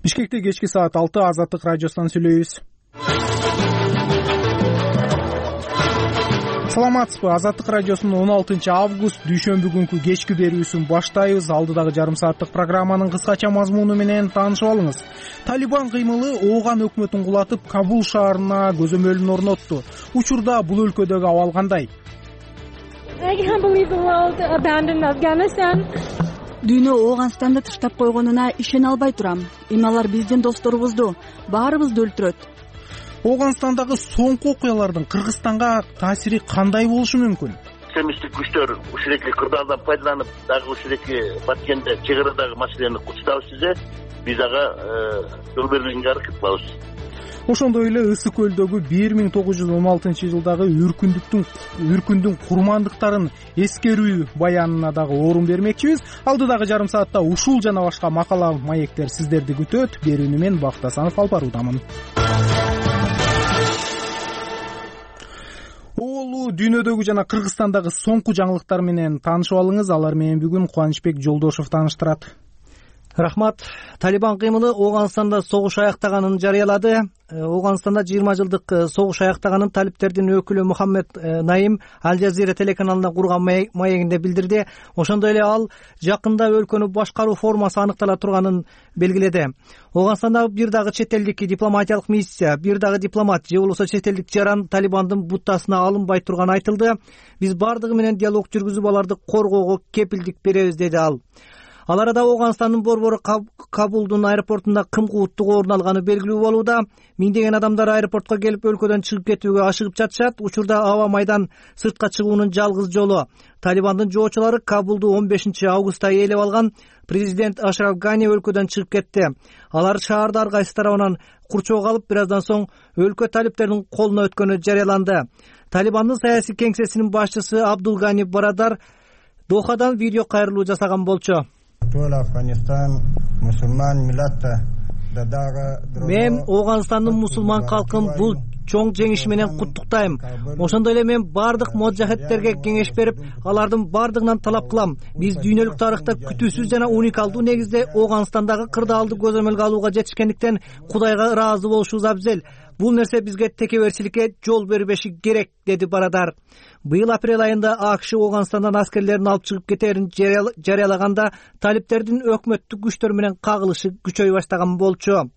Бишкекте кечки саат 6 Азаттык радиосунан сүйлөйбүз. Саламатсызбы? Азаттык радиосунун 16 август дүйшөмбү күнкү кечки берүүсүн баштайбыз. Алдыдагы жарым сааттык программанын кыскача мазмуну менен таанышып алыңыз. Талибан кыймылы Ооган өкмөтүн кулатып, Кабул шаарына көзөмөлүн орнотту. Учурда бул өлкөдөгү абал кандай? Дүйнө Ооганстанды таштап койгонуна ишене албай турам. Эми алар биздин досторубузду, баарыбызды өлтүрөт. Оогандстандагы соңку окуялардын Кыргызстанга таасири кандай болушу мүмкүн? Экстремисттик күчтөр ушулеки кырдаалдан пайдаланып, дагы ушулеки Баткенде чек арадагы маселени курчутабыз десе, биз ага жол бербегенге аракет кылабыз. Ошондой эле Ысык көлдөгү 1916-жылдагы үркүндүн курмандыктарын эскерүү баянына дагы орун бермекчибиз. Алдыдагы жарым саатта ушул жана башка макала маектер сиздерди күтөт. Берүүнү мен Бактасанов алып баруудамын. Оолу дүйнөдөгү жана Кыргызстандагы соңку жаңылыктар менен таанышып алыңыз. Алар менен бүгүн Кубанычбек Жолдошов тааныштырат. Рахмат. Талибан кыймылы Ооганстанда согуш аяктаганын жарыялады. Ооганстанда 20 жылдык согуш аяктаганын талиптердин өкүлү Мухаммед Наим Аль Жазира телеканалына курган маегинде билдирди. Ошондой эле ал жакында өлкөнү башкаруу формасы аныктала турганын белгиледи. Ооганстанда бир дагы чет элдик дипломатиялык миссия, бир дагы дипломат же болбосо чет элдик жаран Талибандын буттасына алынбай турганы айтылды. Биз бардыгы менен диалог жүргүзүп аларды коргоого кепилдик беребиз, деди ал. Ал арада Ооганстандын борбору Кабулдун аэропортунда кым кууттук орун алганы белгилүү болууда. Миңдеген адамдар аэропортко келип өлкөдөн чыгып кетүүгө ашыгып жатышат. Учурда аба майдан сыртка чыгуунун жалгыз жолу. Талибандын жоочулары Кабулду 15 августта ээлеп алган. Президент Ашраф Гани өлкөдөн чыгып кетти. Алар шаарды ар кайсы тарабынан курчоого алып, бир аздан соң өлкө талиптердин колуна өткөнү жарыяланды. Талибандын саясий кеңсесинин башчысы Абдул Гани Барадар Дохадан видео кайрылуу жасаган болчу. Мен Ооганстандын мусулман калкын бул чоң жеңиши менен куттуктайм. Ошондой эле мен бардык моджахеттерге кеңеш берип, алардын бардыгынан талап кылам. Биз дүйнөлүк тарыхта күтүүсүз жана уникалдуу негизде Ооганстандагы кырдаалды көзөмөлгө алууга жетишкендиктен Кудайга ыраазы болушубуз абзел. Бул нерсе бизге текеберчиликке жол бербеши керек, деди Барадар. Быйыл апрель айында АКШ Ооганстандан аскерлерин алып чыгып кетерин жарыялаганда талиптердин өкмөттүк күчтөр менен кагылышы күчөй баштаган болчу.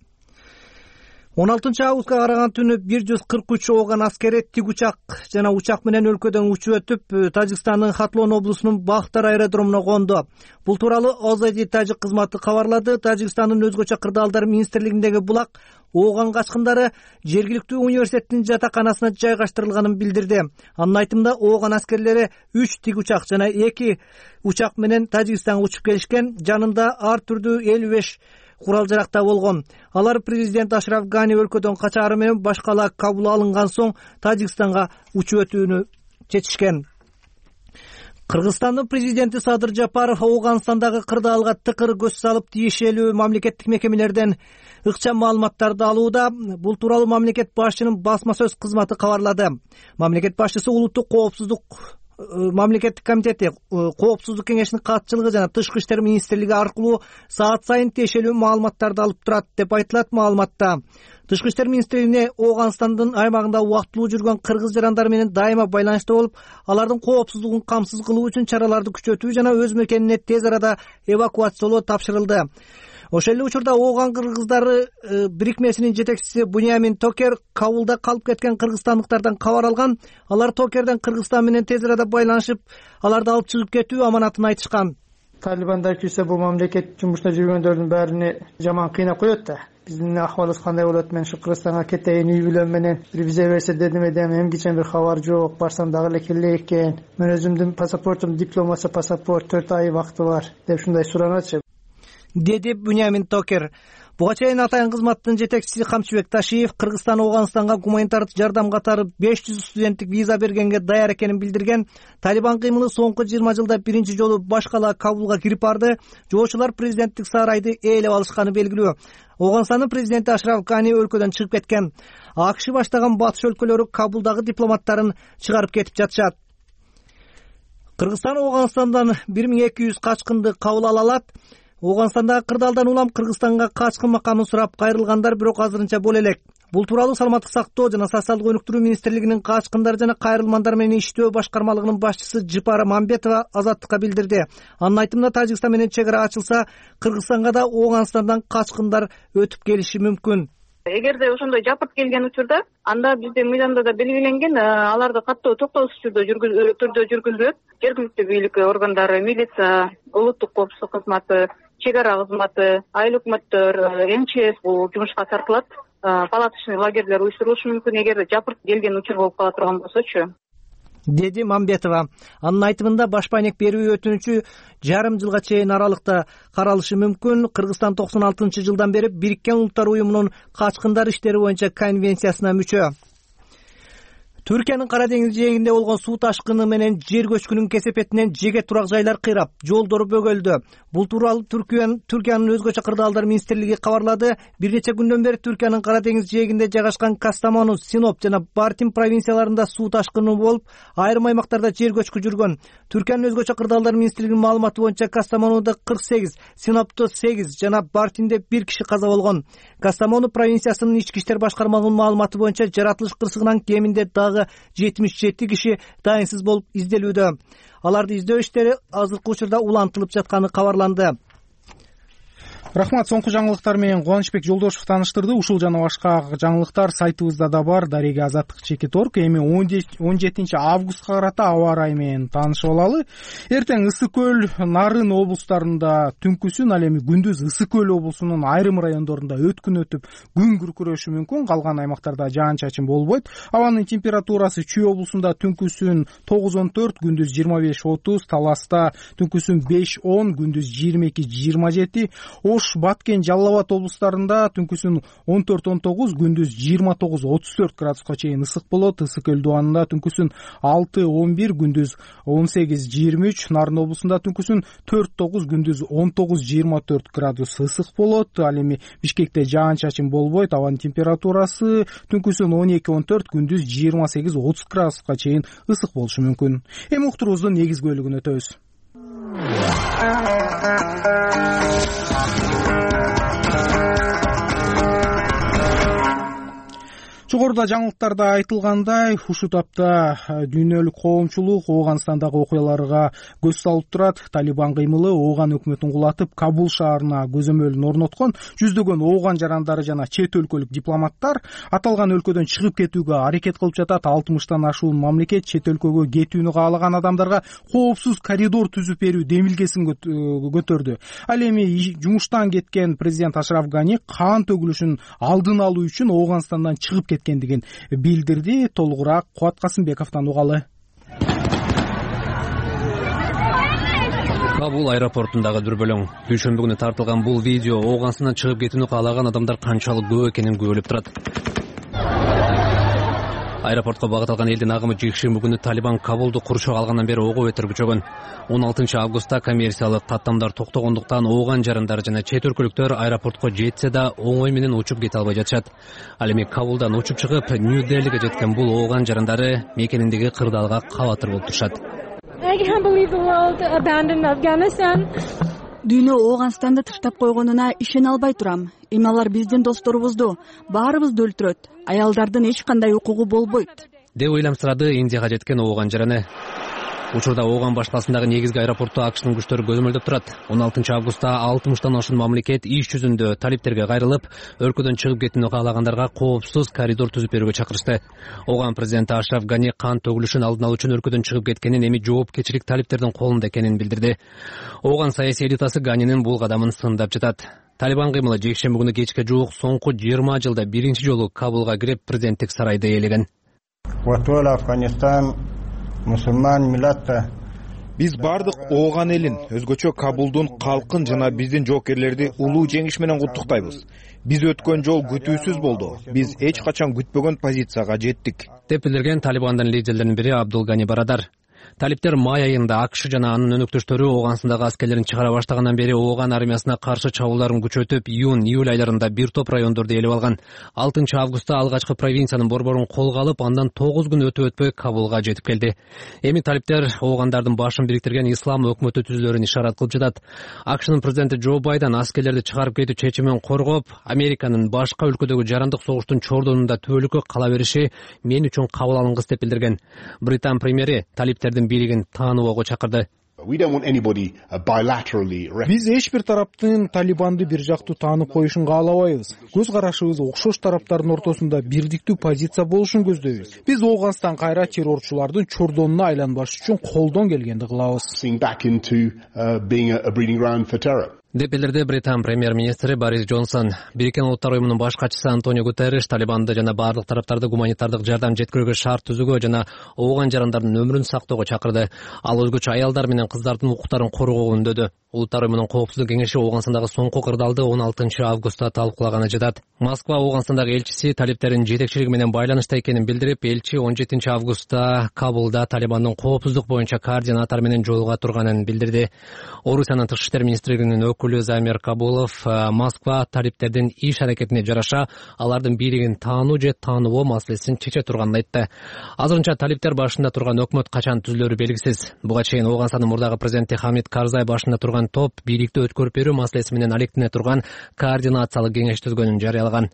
16 августка караган түнү 143 Ооган аскери тигучак жана учак менен өлкөдөн учуп өтүп, Тажикстандын Хатлон облусунун Бахтар аэродромуна конду. Бул тууралуу Озади Тажик кызматы кабарлады. Тажикстандын өзгөчө кырдаалдар министрлигиндеги булак Ооган качкындары жергиликтүү университеттин жатаканасына жайгаштырылганын билдирди. Анын айтымында Ооган аскерлери 3 тигучак жана 2 учак менен Тажикстанга учуп келишкен. Жанында ар түрдүү 55 курал-жаракта болгон. Алар президент Ашраф Гани өлкөдөн качаары менен башкала Кабул алынган соң Тажикстанга учуп өтүүнү чечишкен. Кыргызстандын президенти Садыр Жапаров Ооганстандагы кырдаалга тыкыр көз салып, тиешелүү мамлекеттик мекемелерден ыкчам маалыматтарды алууда. Бул тууралуу мамлекет башчынын басма сөз кызматы кабарлады. Мамлекет башчысы улуттук коопсуздук мамлекеттик комитети, коопсуздук кеңешинин катчылыгы жана тышкы иштер министрлиги аркылуу саат сайын тиешелүү маалыматтарды алып турат, деп айтылат маалыматта. Тышкы иштер министрлигине Ооганстандын аймагында убактылуу жүргөн кыргыз жарандар менен дайыма байланышта болуп, алардын коопсуздугун камсыз кылуу үчүн чараларды күчөтүү жана өз мекенине тез арада эвакуациялоо тапшырылды. Ошол эле учурда Ооган кыргыздары бирикмесинин жетекчиси Буньямин Токер Кабулда калып кеткен кыргызстандыктардан кабар алган. Алар Токерден Кыргызстан менен тез арада байланышып, аларды алып чыгып кетүү аманатын айтышкан. Талибандар кирсе бул мамлекет жумушта жүргөндөрдүн баарыны жаман кыйнап коет да. Биздин акыбалыбыз кандай болот? Мен ушу Кыргызстанга кетейин, үй бүлөм менен бир виза берсе дедим, эмгичен бир кабар жок. Барсам дагы эле келе экен. Мен өзүмдүн паспортум дипломасы паспорт 4 ай вакыты бар деп ушундай суранатчы, деди Буньямин Токер. Буга чейин Атайын кызматтын жетекчиси Камчыбек Ташиев Кыргызстан Ооганстанга гуманитардык жардам катары 500 студенттик виза бергенге даяр экенин билдирген. Талибан кыймылы соңку 20 жылда биринчи жолу башкала Кабулга кирип барды. Жоочулар президенттик сарайды ээлеп алышканы белгилүү. Ооганстандын президенти Ашраф Гани өлкөдөн чыгып кеткен. АКШ баштаган батыш өлкөлөрү Кабулдагы дипломаттарын чыгарып кетип жатышат. Кыргызстан Ооганстандан 1200 качкынды кабыл ала алат. Ооганстандагы кырдаалдан улам Кыргызстанга качкын макамын сурап кайрылгандар бирок азырынча боло элек. Бул тууралуу Саламаттык сактоо жана социалдык өнүктүрүү министрлигинин качкындар жана кайрылмандар менен иштөө башкармалыгынын башчысы Жыпара Мамбетова Азаттыкка билдирди. Анын айтымында Тажикстан менен чек ара ачылса, Кыргызстанга да Ооганстандан качкындар өтүп келиши мүмкүн. Эгерде ошондой жапырт келген учурда, анда биздин мыйзамда да белгиленген, аларды каттоо токтоосуз түрдө жүргүзүлөт. Жергиликтүү бийлик органдары, милиция, улуттук коопсуздук кызматы, чек ара кызматы, айыл өкмөттөр, МЧС бул жумушка тартылат. Палаточный лагерлер уюштурулушу мүмкүн эгерде жапырт келген учур болуп кала турган болсочу, деди Мамбетова. Анын айтымында баш байнек берүү өтүнүчү жарым жылга чейин аралыкта каралышы мүмкүн. Кыргызстан 96-жылдан бери Бириккен Улуттар уюмунун качкындар иштери боюнча конвенциясына мүчө. Түркиянын Кара деңиз жээгинде болгон суу ташкыны менен жер көчкүнүн кесепетинен жеке турак жайлар кыйрап, жолдор бөгөлдү. Бул тууралуу Түркиянын өзгөчө кырдаалдар министрлиги кабарлады. Бир нече күндөн бери Түркиянын Кара деңиз жээгинде жайгашкан Кастамону, Синоп жана Бартин провинцияларында суу ташкыны болуп, айрым аймактарда жер көчкү жүргөн. Түркиянын өзгөчө кырдаалдар министрлигинин маалыматы боюнча Кастамонуда 48, Синопто 8 жана Бартинде 1 киши каза болгон. Кастамону провинциясынын ички иштер башкармалыгынын маалыматы боюнча жаратылыш кырсыгынан кеминде дагы 77 киши дайынсыз болуп изделүүдө. Аларды издөө иштери азыркы учурда улантылып жатканы кабарланды. Рахмат, соңку жаңылыктар менен Кубанычбек Жолдошев тааныштырды. Ушул жана башка жаңылыктар сайтыбызда да бар. Дареге Азаттык.org. Эми 17 августка карата аба ырайы менен таанышып алалы. Эртең Ысык көл, Нарын облустарында түнкүсүн, ал эми күндүз Ысык көл облусунун айрым райондорунда өткүн өтүп, күн күркүрөшү мүмкүн. Калган аймактарда жаан-чачын болбойт. Абанын температурасы Чүй облусунда түнкүсүн 9-14, күндүз 25-30, Таласта түнкүсүн 5-10, күндүз 22-27, Ош, Баткен, Жалал Абад облустарында түнкүсүн 14-19, күндүз 29-34 градуска чейин ысык болот. Ысык көл дубанында түнкүсүн 6-11, күндүз 18-23, Нарын облусунда түнкүсүн 4-9, күндүз 19-24 градус ысык болот. Ал эми Бишкекте жаан-чачын болбойт. Абанын температурасы түнкүсүн 12-14, күндүз 28-30 градуска чейин ысык болушу мүмкүн. Эми уктуруубуздун негизги бөлүгүнө өтөбүз. Жогоруда жаңылыктарда айтылгандай, ушул тапта дүйнөлүк коомчулук Ооганстандагы окуяларга көз салып турат. Талибан кыймылы Ооган өкмөтүн кулатып, Кабул шаарына көзөмөлүн орноткон. Жүздөгөн Ооган жарандары жана чет өлкөлүк дипломаттар аталган өлкөдөн чыгып кетүүгө аракет кылып жатат. 60тан ашуун мамлекет чет өлкөгө кетүүнү каалаган адамдарга коопсуз коридор түзүп берүү демилгесин көтөрдү. Ал эми жумуштан кеткен президент Ашраф Гани кан төгүлүшүн алдын алуу үчүн Ооганстандан чыгып кеткендигин билдирди. Толугураак Кубат Касымбековдон угалы. Кабул аэропортундагы дүрбөлөң. Дүйшөмбү күнү тартылган бул видео Ооганстандан чыгып кетүүнү каалаган адамдар канчалык көп экенин күбөлөп турат. Аэропортко багыт алган элдин агымы жекшемби күнү Талибан Кабулду курчок алгандан бери ого бетер күчөгөн. 16 августта коммерциялык каттамдар токтогондуктан Ооган жарандары жана чет өлкөлүктөр аэропортко жетсе да оңой менен учуп кете албай жатышат. Ал эми Кабулдан учуп чыгып Нью-Делиге жеткен бул Ооган жарандары мекениндеги кырдаалга кабатыр болуп турушат. Дүйнө Ооганстанды таштап койгонуна ишене албай турам. Эми алар биздин досторубузду, баарыбызды өлтүрөт. Аялдардын эч кандай укугу болбойт, деп ыйламсырады Индияга жеткен Ооган жараны. Учурда Ооган башкаласындагы негизги аэропортто АКШнын күчтөрү көзөмөлдөп турат. 16 августта 60тан ашуун мамлекет иш жүзүндө талиптерге кайрылып, өлкөдөн чыгып кетүүнү каалагандарга коопсуз коридор түзүп берүүгө чакырышты. Ооган президенти Ашраф Гани кан төгүлүшүн алдын алуу үчүн өлкөдөн чыгып кеткенин, эми жоопкерчилик талиптердин колунда экенин билдирди. Ооган саясий элитасы Ганинин бул кадамын сындап жатат. Талибан кыймылы жекшемби күнү кечке жуук соңку 20 жылда биринчи жолу Кабулга кирип президенттик сарайды ээлеген. Биз бардык Ооган элин, өзгөчө Кабулдун калкын жана биздин жоокерлерди улуу жеңиш менен куттуктайбыз. Биз өткөн жол күтүүсүз болду. Биз эч качан күтпөгөн позицияга жеттик, деп билдирген Талибандын лидерлеринин бири Абдул Гани Барадар. Талиптер май айында АКШ жана анын өнөктөштөрү Ооганстандагы аскерлерин чыгара баштагандан бери Ооган армиясына каршы чабуулдарын күчөтүп, июнь-июль айларында бир топ райондорду элеп алган. 6-августта алгачкы провинциянын борборун колго алып, андан 9 күн өтүп Кабулга жетип келди. Эми талиптер Оогандардын башын бириктирген ислам өкмөтү түзүлөрүн ишарат кылып жатат. АКШнын президенти Джо Байден аскерлерди чыгарып кетүү чечимин коргоп, Американын башка өлкөдөгү жарандык согуштун чордонунда түбөлүккө кала бериши мен үчүн кабыл алынгыс деп билдирген. Британ премьери талиптердин бийлигин тааныбоого чакырды. Биз эч бир тараптын Талибанды бир жактуу таанып коюшун каалабайбыз. Көз карашыбыз окшош тараптардын ортосунда бирдиктүү позиция болушун көздөйбүз. Биз Ооганстан кайра террорчулардын чордонуна айланбаш үчүн колдон келгенди кылабыз деп билдирди Британ премьер-министри Борис Джонсон. Бириккен Улуттар уюмунун баш катчысы Антонио Гутерриш Талибанды жана бардык тараптарды гуманитардык жардам жеткирүүгө шарт түзүүгө жана Ооган жарандардын өмүрүн сактоого чакырды. Ал өзгөчө аялдар менен кыздардын укуктарын коргоого үндөдү. Улуттар уюмунун коопсуздук кеңеши Ооганстандагы соңку кырдаалды 16-августта талкуулаганы жатат. Москва Ооганстандагы элчиси талиптердин жетекчилиги менен байланышта экенин билдирип, элчи 17-августта Кабулда Талибандын коопсуздук боюнча координатор менен жолуга турганын билдирди. Орусиянын тышкы иштер министрлигинин өкүлү Замир Кабулов Москва талиптердин иш аракетине жараша алардын бийлигин таануу же тааныбоо маселесин чече турганын айтты. Азырынча талиптер башында турган өкмөт качан түзүлөрү белгисиз. Буга чейин Ооганстандын мурдагы президенти Хамид Карзай башында турган топ бийликти өткөрүп берүү маселеси менен алектине турган координациялык кеңеш түзгөнүн жарыялаган.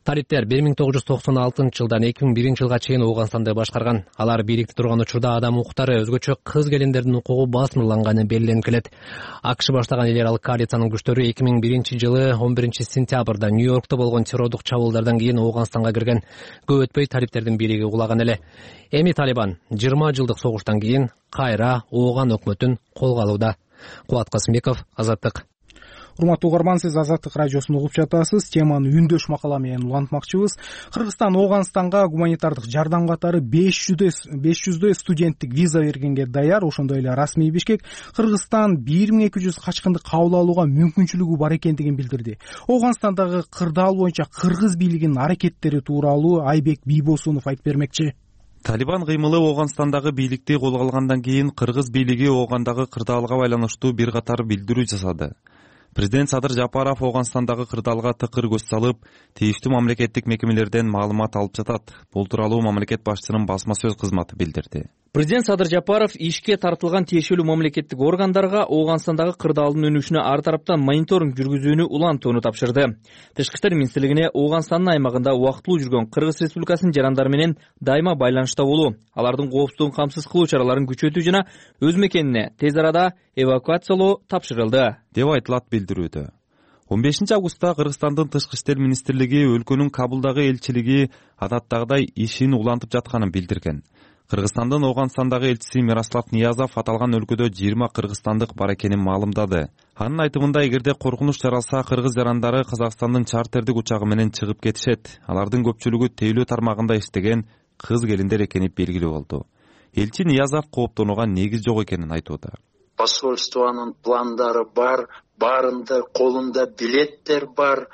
Талиптер 1996 жылдан 2001 жылга чейин Ооганстанды башкарган. Алар бийликте турган учурда адам укуктары, өзгөчө кыз келиндердин укугу басмырланганы белгиленип келет. АКШ баштаган эл аралык коалициянын күчтөрү 2001 жылы 11-сентябрда Нью-Йоркто болгон террордук чабуулдардан кийин Ооганстанга кирген. Көп өтпөй талиптердин бийлиги кулаган эле. Эми Талибан 20 жылдык согуштан кийин кайра Ооган өкмөтүн колго алууда. Кубат Касымбеков, Азаттык. Урматтуу угарман, сиз Азаттык радиосун угуп жатасыз. Теманы үндөш макала менен улантмакчыбыз. Кыргызстан Ооганстанга гуманитардык жардам катары 500 студенттик виза бергенге даяр. Ошондой эле расмий Бишкек Кыргызстан 1200 качкынды кабыл алууга мүмкүнчүлүгү бар экендигин билдирди. Ооганстандагы кырдаал боюнча кыргыз бийлигинин аракеттери тууралуу Айбек Бийбосунов айтып бермекчи. Талибан кыймылы Ооганстандагы бийликти колго алгандан кийин кыргыз бийлиги Оогандагы кырдаалга байланыштуу бир катар билдирүү жасады. Президент Садыр Жапаров Ооганстандагы кырдаалга тыкыр көз салып, тийиштүү мамлекеттик мекемелерден маалымат алып жатат. Бул тууралуу мамлекет башчысынын басма сөз кызматы билдирди. Президент Садыр Жапаров ишке тартылган тиешелүү мамлекеттик органдарга Ооганстандагы кырдаалдын өнүшүнө ар тараптан мониторинг жүргүзүүнү улантууну тапшырды. Тышкы иштер министрлигине Ооганстандын аймагында убактылуу жүргөн Кыргыз Республикасынын жарандары менен дайыма байланышта болуу, алардын коопсуздугун камсыз кылуу чараларын күчөтүү жана өз мекенине тез арада эвакуациялоо тапшырылды деп айтылат билдирүүдө. 15-августта Кыргызстандын тышкы иштер министрлиги өлкөнүн Кабулдагы элчилиги адаттагыдай ишин улантып жатканын билдирген. Кыргызстандын Ооганстандагы элчиси Мирослав Ниязов аталган өлкөдө 20 кыргызстандык бар экенин маалымдады. Анын айтымында, эгерде коркунуч жаралса, кыргыз жарандары Казакстандын чартердик учагы менен чыгып кетишет. Алардын көпчүлүгү тейлөө тармагында иштеген кыз келиндер экени белгилүү болду. Элчи Ниязов кооптонууга негиз жок экенин айтууда. Посольствонун пландары бар, барында колунда билеттер бар,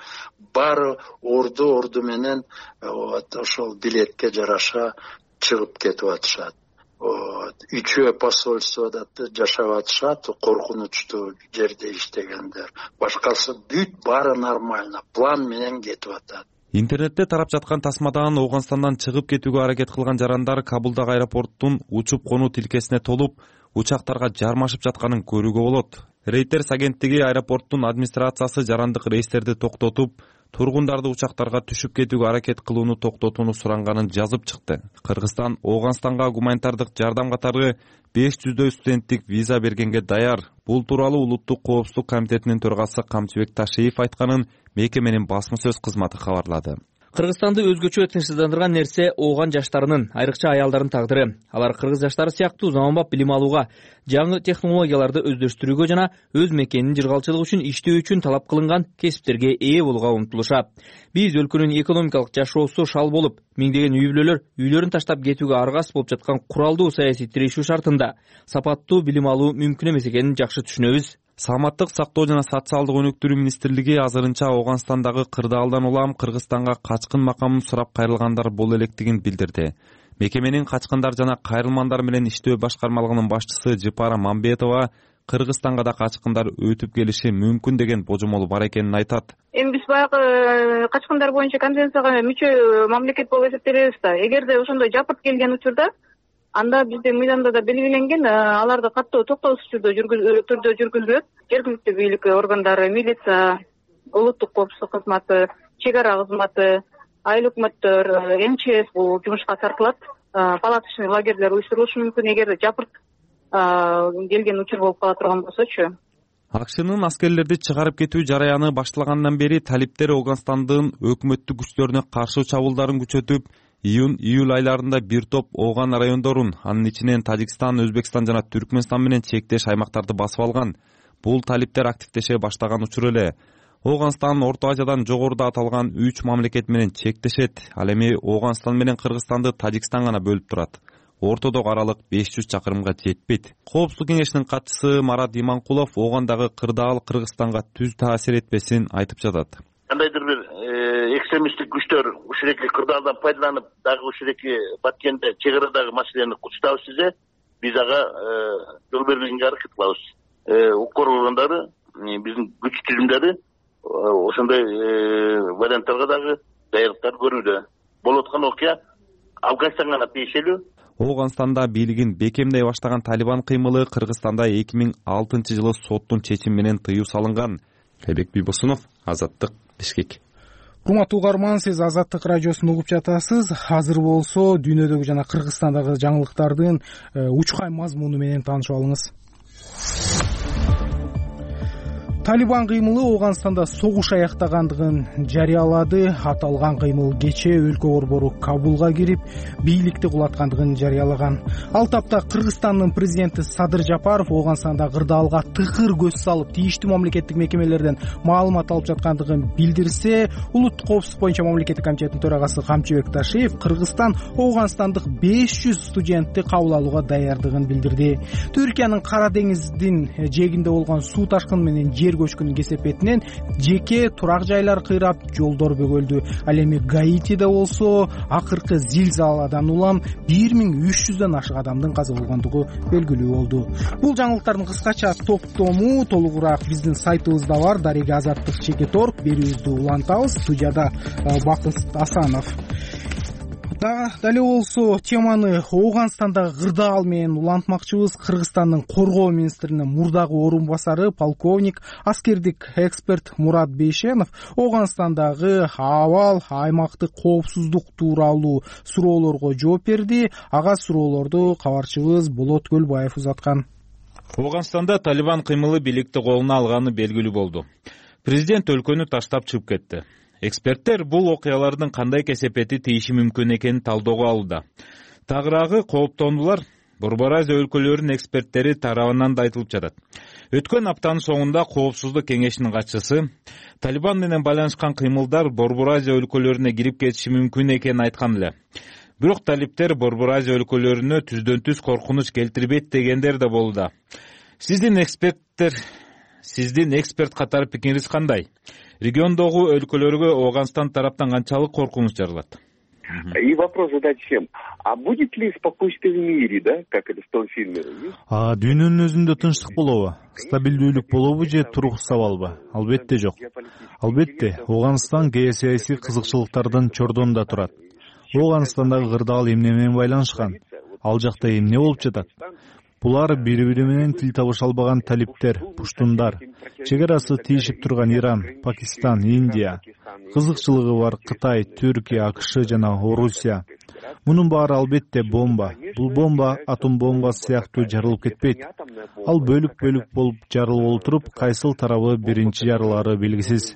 баары орду менен ошол билетке жараша чыгып кетип атышат. Үчөө посольствода жашап атышат, коркунучтуу жерде иштегендер. Башкасы бүт баары нормально, план менен кетип атат. Интернетте тарап жаткан тасмадан Ооганстандан чыгып кетүүгө аракет кылган жарандар Кабулдагы аэропорттун учуп конуу тилкесине толуп, учактарга жармашып жатканын көрүүгө болот. Reuters агенттиги аэропорттун администрациясы жарандык рейстерди токтотуп, тургундарды учактарга түшүп кетүүгө аракет кылууну токтотууну суранганын жазып чыкты. Кыргызстан Ооганстанга гуманитардык жардам катары 500 студенттик виза бергенге даяр. Бул тууралуу Улуттук коопсуздук комитетинин төрагасы Камчыбек Ташиев айтканын мекеменин басма сөз кызматы кабарлады. Кыргызстанды өзгөчө тынчсыздандырган нерсе Ооган жаштарынын, айрыкча аялдардын тагдыры. Алар кыргыз жаштары сыяктуу заманбап билим алууга, жаңы технологияларды өздөштүрүүгө жана өз мекенинин жыргалчылыгы үчүн иштөө үчүн талап кылынган кесиптерге ээ болууга умтулушат. Биз өлкөнүн экономикалык жашоосу шал болуп, миңдеген үй бүлөлөр үйлөрүн таштап кетүүгө аргасыз болуп жаткан куралдуу саясий тирешүү шартында сапаттуу билим алуу мүмкүн эмес экенин жакшы түшүнөбүз. Саламаттык сактоо жана социалдык өнүктүрүү министрлиги азырынча Ооганстандагы кырдаалдан улам Кыргызстанга качкын макамын сурап кайрылгандар боло электигин билдирди. Мекеменин качкындар жана кайрылмандар менен иштөө башкармалыгынын башчысы Жыпара Мамбетова Кыргызстанга да качкындар өтүп келиши мүмкүн деген божомол бар экенин айтат. Эми биз баягы качкындар боюнча конвенцияга мүчө мамлекет болуп эсептелебиз да. Эгерде ошондой жапырт келген учурда, анда биздин мыйзамда да белгиленген, аларды каттоо токтоосуз түрдө жүргүзүлөт. Жергиликтүү бийлик органдары, милиция, улуттук коопсуздук кызматы, чек ара кызматы, айыл өкмөттөр, МЧС бул жумушка тартылат. Палаточный лагерлер уюштурулушу мүмкүн эгерде жапырт келген учур болуп кала турган болсочу. АКШнын аскерлерди чыгарып кетүү жараяны башталгандан бери талиптер Ооганстандын өкмөттүк күчтөрүнө каршы чабуулдарын күчөтүп, июнь-июль айларында бир топ Ооган райондорун, анын ичинен Тажикстан, Өзбекстан жана Түркмөнстан менен чектеш аймактарды басып алган. Бул талиптер активдеше баштаган учур эле. Ооганстан Орто Азиядан жогоруда аталган 3 мамлекет менен чектешет. Ал эми Ооганстан менен Кыргызстанды Тажикстан гана бөлүп турат. Ортодогу аралык 500 чакырымга жетпейт. Коопсуздук кеңешинин катчысы Марат Иманкулов Оогандагы кырдаал Кыргызстанга түз таасир этпесин айтып жатат. Кандайдыр бир экстремисттик күчтөр ушуреки кырдаалдан пайдаланып, дагы ушуреки Баткенде чек арадагы маселени кучтабыз десе, биз ага жол бербегенге аракет кылабыз. Укук органдары, биздин күч түзүмдөрү ошондой варианттарга дагы даярдыктар көрүүдө. Болуп аткан окуя Афганистанга гана тиешелүү. Ооганстанда бийлигин бекемдей баштаган Талибан кыймылы Кыргызстанда 2006-жылы соттун чечими менен тыюу салынган. Айбек Бийбосунов, Азаттык, Бишкек. Урматтуу угарман, сиз Азаттык радиосун угуп жатасыз. Азыр болсо дүйнөдөгү жана Кыргызстандагы жаңылыктардын учкай мазмуну менен таанышып алыңыз. Талибан кыймылы Ооганстанда согуш аяктагандыгын жарыялады. Аталган кыймыл кечээ өлкө борбору Кабулга кирип, бийликти кулаткандыгын жарыялаган. Ал тапта Кыргызстандын президенти Садыр Жапаров Ооганстанда кырдаалга тыкыр көз салып, тийиштүү мамлекеттик мекемелерден маалымат алып жаткандыгын билдирсе, Улуттук коопсуздук боюнча мамлекеттик комитеттин төрагасы Камчыбек Ташиев Кыргызстан Ооганстандык 500 студентти кабыл алууга даярдыгын билдирди. Түркиянын Кара деңиздин жээгинде болгон суу ташкыны менен көчкүнүн кесепетинен жеке турак жайлар кыйрап, жолдор бөгөлдү. Ал эми Гаитиде болсо акыркы зилзаладан улам 1300дөн ашык адамдын каза болгондугу белгилүү болду. Бул жаңылыктардын кыскача топтому толугураак биздин сайтыбызда бар. Дареги Азаттык /org берүүбүздү улантабыз. Студияда Бакыт Асанов. Дали болсо теманы Ооганстандагы кырдаал менен улантмакчыбыз. Кыргызстандын коргоо министринин мурдагы орун басары полковник, аскердик эксперт Мурат Бейшенов Ооганстандагы абал, аймактык коопсуздук тууралуу суроолорго жооп берди. Ага суроолорду кабарчыбыз Болот Көлбаев узаткан. Ооганстанда Талибан кыймылы бийликти колуна алганы белгилүү болду. Президент өлкөнү таштап чыгып кетти. Эксперттер бул окуялардын кандай кесепети тийиши мүмкүн экенин талдоого алууда. Тагыраагы кооптондулар Борбор Азия өлкөлөрүнүн эксперттери тарабынан да айтылып жатат. Өткөн аптанын соңунда Коопсуздук кеңешинин катчысы Талибан менен байланышкан кыймылдар Борбор Азия өлкөлөрүнө кирип кетиши мүмкүн экенин айткан эле. Бирок талиптер Борбор Азия өлкөлөрүнө түздөн түз коркунуч келтирбейт дегендер да болууда. Сиздин эксперт катары пикириңиз кандай? Региондогу өлкөлөргө Ооганстан тараптан канчалык коркунуч жаралат? И вопрос задать всем. А будет ли спокойствие в мире, да, как это в том фильме? Дүйнөнүн өзүндө тынчтык болобу? Стабилдүүлүк болобу же турук сабалбы? Албетте жок. Албетте, Ооганстан геосаясий кызыкчылыктардын чордонунда турат. Ооганстандагы кырдаал эмне менен байланышкан? Ал жакта эмне болуп жатат? Булар бири-бири менен тил табыша албаган талиптер, пуштундар, чек арасы тийишип турган Иран, Пакистан, Индия, кызыкчылыгы бар Кытай, Түркия, АКШ жана Орусия. Мунун баары албетте бомба. Бул бомба атом бомбасы сыяктуу жарылып кетпейт. Ал бөлүк-бөлүк болуп жарылып отуруп, кайсыл тарабы биринчи жарылары белгисиз.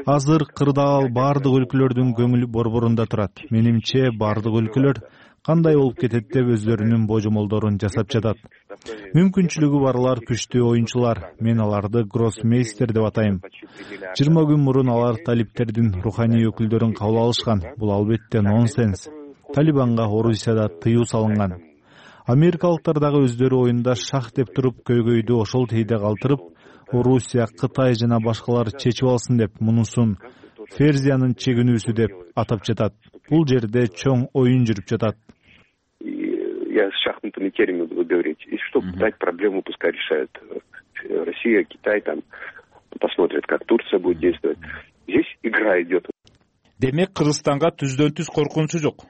Азыр кырдаал бардык өлкөлөрдүн көңүл борборунда турат. Менимче бардык өлкөлөр кандай болуп кетет деп өздөрүнүн божомолдорун жасап жатат. Мүмкүнчүлүгү барлар күчтүү оюнчулар. Мен аларды гроссмейстер деп атайм. 20 күн мурун алар талиптердин руханий өкүлдөрүн кабыл алышкан. Бул албетте нонсенс. Талибанга Орусияда тыюу салынган. Америкалыктар дагы өздөрү оюнда шах деп туруп көйгөйдү ошол тийде калтырып, Орусия, Кытай жана башкалар чечип алсын деп мунусун Ферзиянын чегинүүсү деп атап жатат. Бул жерде чоң оюн жүрүп жатат. я с шахматными терминами буду говорить, и чтобы дать проблему, пускай решает Россия, Китай, там посмотрят, как Турция будет действовать. Здесь игра идет. Демек Кыргызстанга түздөн түз коркунучу жок.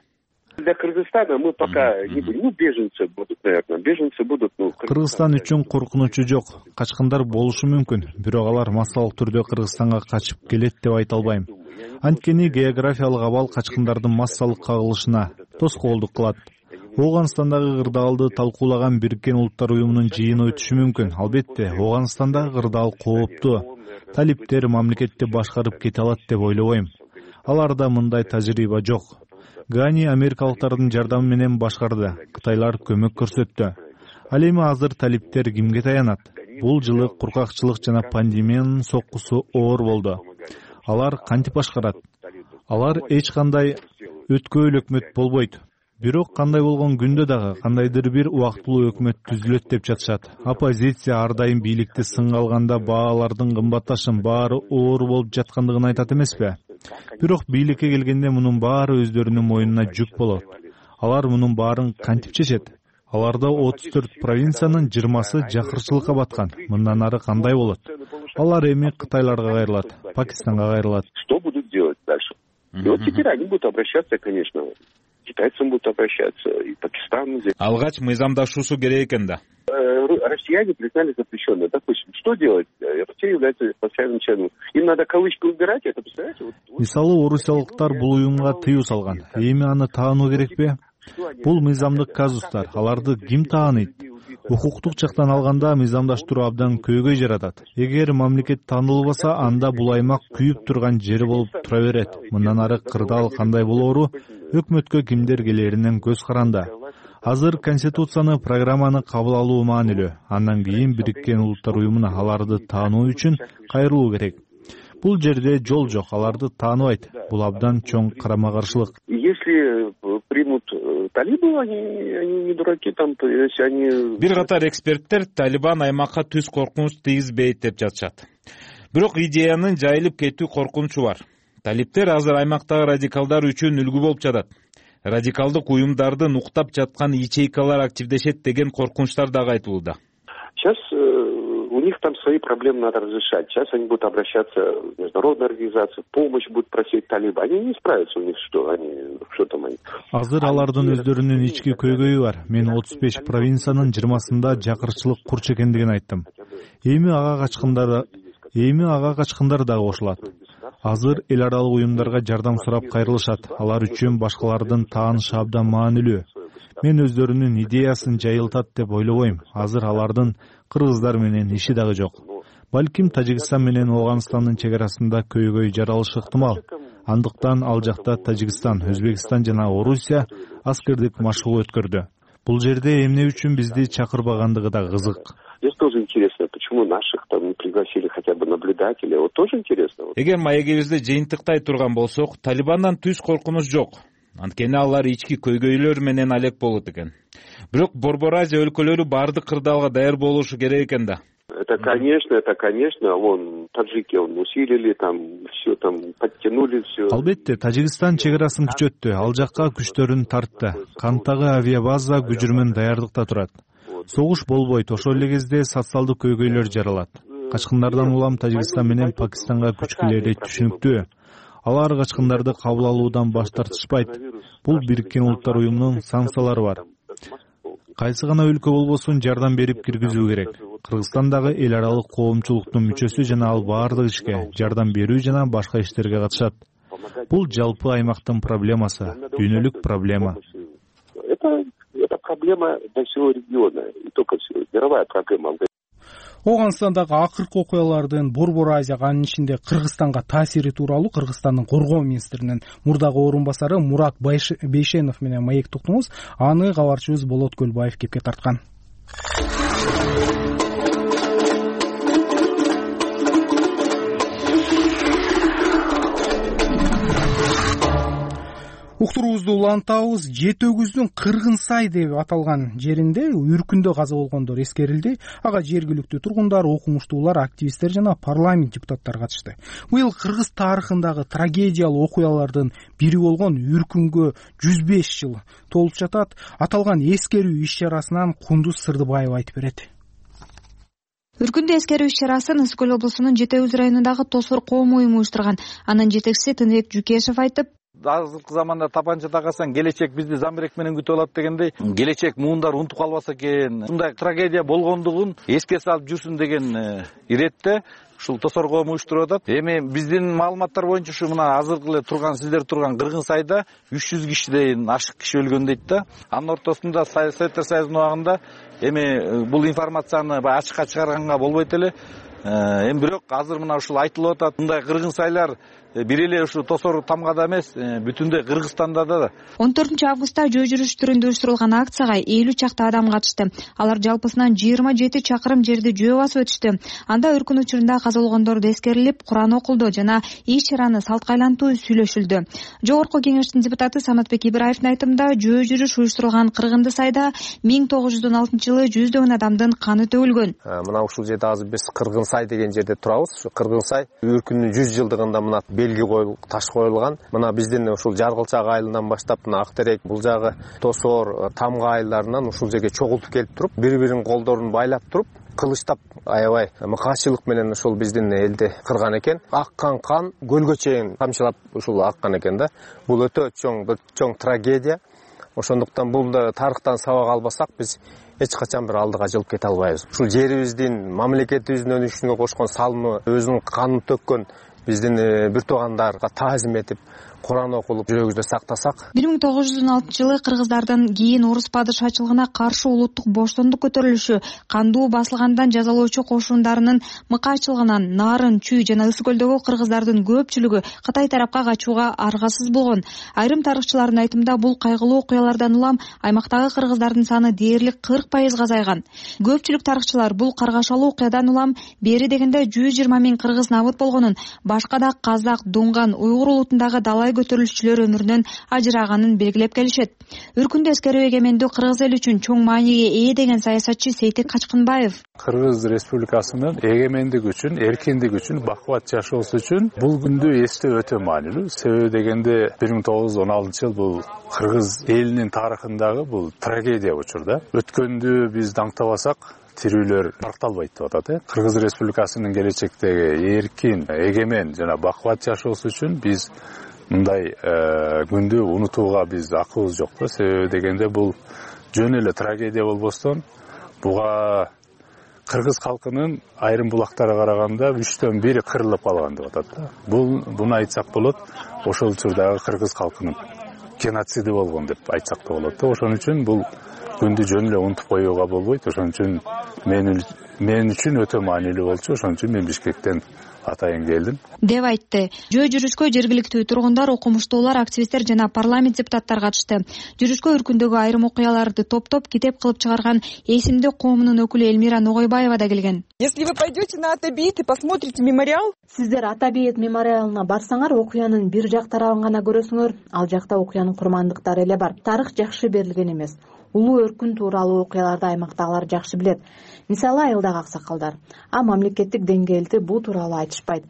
Для Кыргызстана мы пока не будем. Беженцы будут, наверное. Беженцы будут. Кыргызстан үчүн коркунучу жок. Качкындар болушу мүмкүн. Бирок алар массалык түрдө Кыргызстанга качып келет деп айта албайм. Анткени географиялык абал качкындардын массалык кагылышына тоскоолдук кылат. Ооганстандагы кырдаалды талкуулаган Бириккен Улуттар уюмунун жыйыны өтүшү мүмкүн. Албетте, Ооганстандагы кырдаал кооптуу. Талиптер мамлекетти башкарып кете алат деп ойлобойм. Аларда мындай тажрыйба жок. Гани америкалыктардын жардамы менен башкарды. Кытайлар көмөк көрсөттү. Ал эми азыр талиптер кимге таянат? Бул жылы куркакчылык жана пандемиянын соккусу оор болду. Алар кантип башкарат? Алар эч кандай өткөөл өкмөт болбойт. Бирок кандай болгон күндө дагы кандайдыр бир убактылуу өкмөт түзүлөт деп жатышат. Оппозиция ар дайым бийликти сынга алганда баалардын кымбатташын баары оор болуп жаткандыгын айтат эмеспи? Бирок бийликке келгенде мунун баары өздөрүнүн мойнуна жүк болот. Алар мунун баарын кантип чечет? Аларда 34 провинциянын 20сы жакырчылыкка баткан. Мындан ары кандай болот? Алар эми Кытайларга кайрылат, Пакистанга кайрылат. Что будут делать дальше? И вот теперь они будут обращаться, конечно, китайцам будут обращаться, и Пакистану. Алгач мыйзамдашуусу керек экен да. Россияне признали запрещенное. Допустим, что делать? Россия является постоянным членом. Им надо кавычки убирать, это представляете? Мисалы, орусиялыктар бул уюмга тыюу салган. Эми аны таануу керекпи? Бул мыйзамдык казустар. Аларды ким тааныйт? Укуктук жактан алганда мыйзамдаштыруу абдан көйгөй жаратат. Эгер мамлекет таанылбаса, анда бул аймак күйүп турган жери болуп тура берет. Мындан ары кырдаал кандай болоору өкмөткө кимдер келеринен көз каранда. Азыр Конституцияны, программаны кабыл алуу маанилүү. Андан кийин Бириккен Улуттар уюмуна аларды таануу үчүн кайрылуу керек. Бул жерде жол жок, аларды тааныбайт. Бул абдан чоң карама-каршылык. Если примут талибы, они не дураки, там, если они... Бир катар эксперттер Талибан аймакка түз коркунуч тийгизбейт деп жатышат. Бирок идеянын жайылып кетүү коркунучу бар. Талиптер азыр аймактагы радикалдар үчүн үлгү болуп жатат. Радикалдык уюмдарды уктап жаткан ячейкалар активдешет деген коркунучтар дагы айтылууда. Сейчас у них там свои проблемы надо разрешать. Сейчас они будут обращаться в международные организации, помощь будут просить талибы. Они не справятся, у них что там они. Азыр алардын өздөрүнүн ички көйгөйү бар. Мен 35 провинциянын 20сында жакырчылык курч экендигин айттым. Эми ага качкындар дагы кошулат. Азыр эл аралык уюмдарга жардам сурап кайрылышат. Алар үчүн башкалардын таанышы абдан маанилүү. Мен өздөрүнүн идеясын жайылтат деп ойлобойм. Азыр алардын кыргыздар менен иши дагы жок. Балким Тажикстан менен Ооганстандын чек арасында көйгөй жаралышы ыктымал. Андыктан ал жакта Тажикстан, Өзбекстан жана Орусия аскердик машыгуу өткөрдү. Бул жерде эмне үчүн бизди чакырбагандыгы да кызык. Здесь тоже интересно, почему наших там не пригласили хотя бы наблюдателей. Вот тоже интересно. Эгер маегибизди жыйынтыктай турган болсок, Талибандан түз коркунуч жок. Анткени алар ички көйгөйлөр менен алек болот экен. Бирок Борбор Азия өлкөлөрү бардык кырдаалга даяр болушу керек экен да. Это конечно, вон таджики усилили, там все там подтянули все. Албетте, Тажикстан чек арасын күчөттү, ал жакка күчтөрүн тартты. Канттагы авиабаза күжүрмөн даярдыкта турат. Согуш болбойт, ошол эле кезде социалдык көйгөйлөр жаралат. Качкындардан улам Тажикстан менен Пакистанга күчкүлери түшүнүктүү. Алар качкындарды кабыл алуудан баш тартышпайт. Бул Бириккен Улуттар уюмунун санкциялары бар. Кайсы гана өлкө болбосун жардам берип киргизүү керек. Кыргызстандагы эл аралык коомчулуктун мүчөсү жана ал баардык ишке, жардам берүү жана башка иштерге катышат. Бул жалпы аймактын проблемасы, дүйнөлүк проблема. Это проблема для всего региона, не только всего, мировая проблема. Ооганстандагы акыркы окуялардын Борбор Азияга, анын ичинде Кыргызстанга таасири тууралуу Кыргызстандын коргоо министринин мурдагы орун басары Мурат Бейшенов менен маектик уктуңуз. Аны кабарчыбыз Болот Көлбаев кепке тарткан. Уктуруубузду улантабыз. Жети өгүздүн Кыргын сай деп аталган жеринде үркүндө каза болгондор эскерилди. Ага жергиликтүү тургундар, окумуштуулар, активисттер жана парламент депутаттары катышты. Быйыл кыргыз тарыхындагы трагедиялуу окуялардын бири болгон үркүнгө 105 жыл толуп жатат. Аталган эскерүү иш-чарасынан Кундуз Сырдыбаева айтып берет. Үркүндө эскерүү иш-чарасын Ысык Көл облусунун Жети Өгүз районундагы Тосор коом уюму уюштурган. Анын жетекчиси Тыныбек Жукешев айтып, азыркы заманда тапанча тагасаң келечек бизди замбирек менен күтүп алат дегендей, келечек муундар унутуп калбаса экен, мындай трагедия болгондугун эске салып жүрсүн деген иретте ушул Тосор коому уюштуруп атат. Эми биздин маалыматтар боюнча ушу мына азыркы эле сиздер турган Кыргын сайда 300 кишиден ашык киши өлгөн дейт да. Анын ортосунда Советтер Союзунун убагында эми бул информацияны ачыкка чыгарганга болбойт эле. Эми бирок азыр мына ушул айтылып атат. Мындай кыргын сайлар бир эле ушу Тосор Тамгада эмес, бүтүндөй Кыргызстанда да. 14-августта жөө жүрүш түрүндө уюштурулган акцияга 50 чакты адам катышты. Алар жалпысынан 27 чакырым жерди жөө басып өтүштү. Анда үркүн учурунда каза болгондорду эскерилип, Куран окулду жана иш-чараны салтка айлантуу сүйлөшүлдү. Жогорку кеңештин депутаты Саматбек Ибраевдин айтымында, жөө жүрүш уюштурулган Кыргынды сайда 1916-жылы жүздөгөн адамдын каны төгүлгөн. Мына ушул жерде азыр биз Кыргын сай деген жерде турабыз. Ушу Кыргын сай үркүндүн 100 жылдыгында мына белги коюлуп, таш коюлган. Мына биздин ушул Жаргылчак айылынан баштап мына Актерек, бул жагы Тосор, Тамга айылдарынан ушул жерге чогултуп келип туруп, бири-биринин колдорун байлап туруп, кылычтап аябай мыкаачылык менен ушул биздин элди кырган экен. Аккан кан көлгө чейин тамчылап ушул аккан экен да. Бул өтө чоң трагедия. Ошондуктан бул тарыхтан сабак албасак биз эч качан бир алдыга жылып кете албайбыз. Ушул жерибиздин, мамлекетибиздин өнүгүшүнө кошкон салымы, өзүнүн канын төккөн биздин бир туугандарга таазим этип, Куран окулуп, жүрөгүбүздө сактасак. 1916-жылы кыргыздардын кийин орус падышачылыгына каршы улуттук боштондук көтөрүлүшү, кандуу басылгандан жазалоочу кошундарынын мыкаачылыгынан Нарын, Чүй жана Ысык Көлдөгү кыргыздардын көпчүлүгү Кытай тарапка качууга аргасыз болгон. Айрым тарыхчылардын айтымында, бул кайгылуу окуялардан улам аймактагы кыргыздардын саны дээрлик 40% азайган. Көпчүлүк тарыхчылар бул каргашалуу окуядан улам бери дегенде 120 000 кыргыз набыт болгонун, башка да казак, дунган, уйгур улутундагы далай көтөрүлүшчүлөр өмүрүнөн ажыраганын белгилеп келишет. Үркүндө эскерүү эгемендүү кыргыз эли үчүн чоң мааниге ээ деген саясатчы Сейтек Качкынбаев. Кыргыз Республикасынын эгемендиги үчүн, эркиндиги үчүн, бакубат жашоосу үчүн бул күндү эстөө өтө маанилүү. Себеби дегенде 1916-жыл бул кыргыз элинин тарыхындагы бул трагедия учур да. Өткөндү биз даңктабасак, тирүүлөр таркталбайт деп атат. Кыргыз Республикасынын келечектеги эркин, эгемен жана бакубат жашоосу үчүн биз мындай күндү унутууга биз акыбыз жок да. Себеби дегенде бул жөн эле трагедия болбостон, буга кыргыз калкынын айрым булактары караганда 3төн 1 кырылып калган деп атат да. Буну айтсак болот, ошол учурдагы кыргыз калкынын геноциди болгон деп айтсак да болот да. Ошон үчүн бул күндү жөн эле унутуп коюуга болбойт. Ошон үчүн мен үчүн өтө маанилүү болчу. Ошон үчүн мен Бишкектен атайын келдим деп айтты. Жөө жүрүшкө жергиликтүү тургундар, окумуштуулар, активисттер жана парламент депутаттары катышты. Жүрүшкө үркүндөгү айрым окуяларды топтоп китеп кылып чыгарган Эсимде коомунун өкүлү Элмира Ногойбаева да келген. Если вы пойдете на Атабейт и посмотрите мемориал, сиздер Атабейт мемориалына барсаңар, окуянын бир жак тарабын гана көрөсүңөр. Ал жакта окуянын курмандыктары эле бар. Тарых жакшы берилген эмес. Улуу өркүн тууралуу окуяларды аймактагылар жакшы билет. Мисалы, айылдагы аксакалдар. А мамлекеттик деңгээлде бул тууралуу айтышпайт.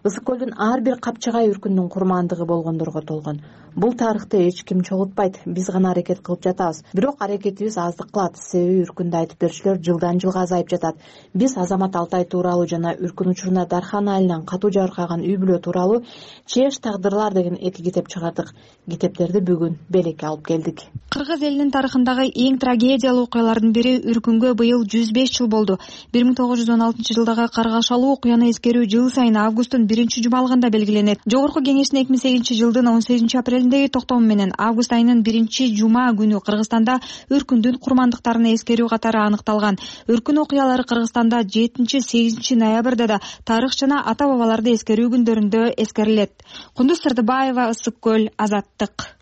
Ысык Көлдүн ар бир капчыгай үркүндүн курмандыгы болгондорго толгон. Бул тарыхты эч ким чогултпайт. Биз гана аракет кылып жатабыз. Бирок аракетибиз аздык кылат. Себеби үркүндү айтып берүүчүлөр жылдан жылга азайып жатат. Биз Азамат Алтай тууралуу жана үркүн учурунда Дархан айылынан катуу жаркаган үй бүлө тууралуу Чеш тагдырлар деген 2 китеп чыгардык. Китептерди бүгүн Белекке алып келдик. Кыргыз элинин тарыхындагы эң трагедиялуу окуялардын бири үркүнгө быйыл 105 жыл болду. 1916-жылдагы каргашалуу окуяны эскерүү жыл сайын августтун 1-жумалыгында белгиленет. Жогорку кеңештин 2008-жылдын 18-апрелиндеги токтому менен август айынын 1-жума күнү Кыргызстанда үркүндүн курмандыктарына эскерүү катары аныкталган. Үркүн окуялары Кыргызстанда 7-8 ноябрда да тарых жана ата бабаларды эскерүү күндөрүндө эскерилет. Кундуз Сырдыбаева, Ысык Көл, Азаттык.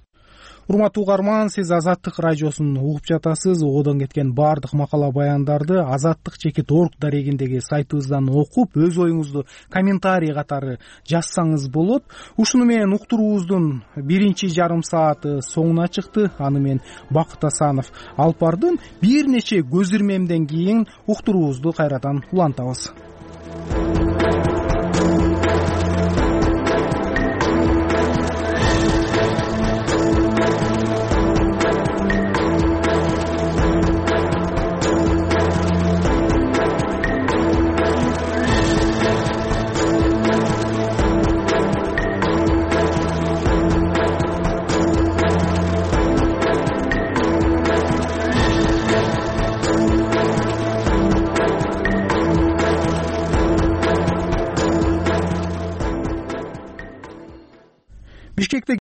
урматтуу угарман, сиз Азаттык радиосун угуп жатасыз. Одон кеткен баардык макала баяндарды azattik.org дарегиндеги сайтыбыздан окуп, өз оюңузду комментарий катары жазсаңыз болот. Ушуну менен уктуруубуздун биринчи жарым сааты соңуна чыкты. Аны мен Бакыт Асанов алып бардым. Бир нече көз ирмемден кийин уктуруубузду кайрадан улантабыз.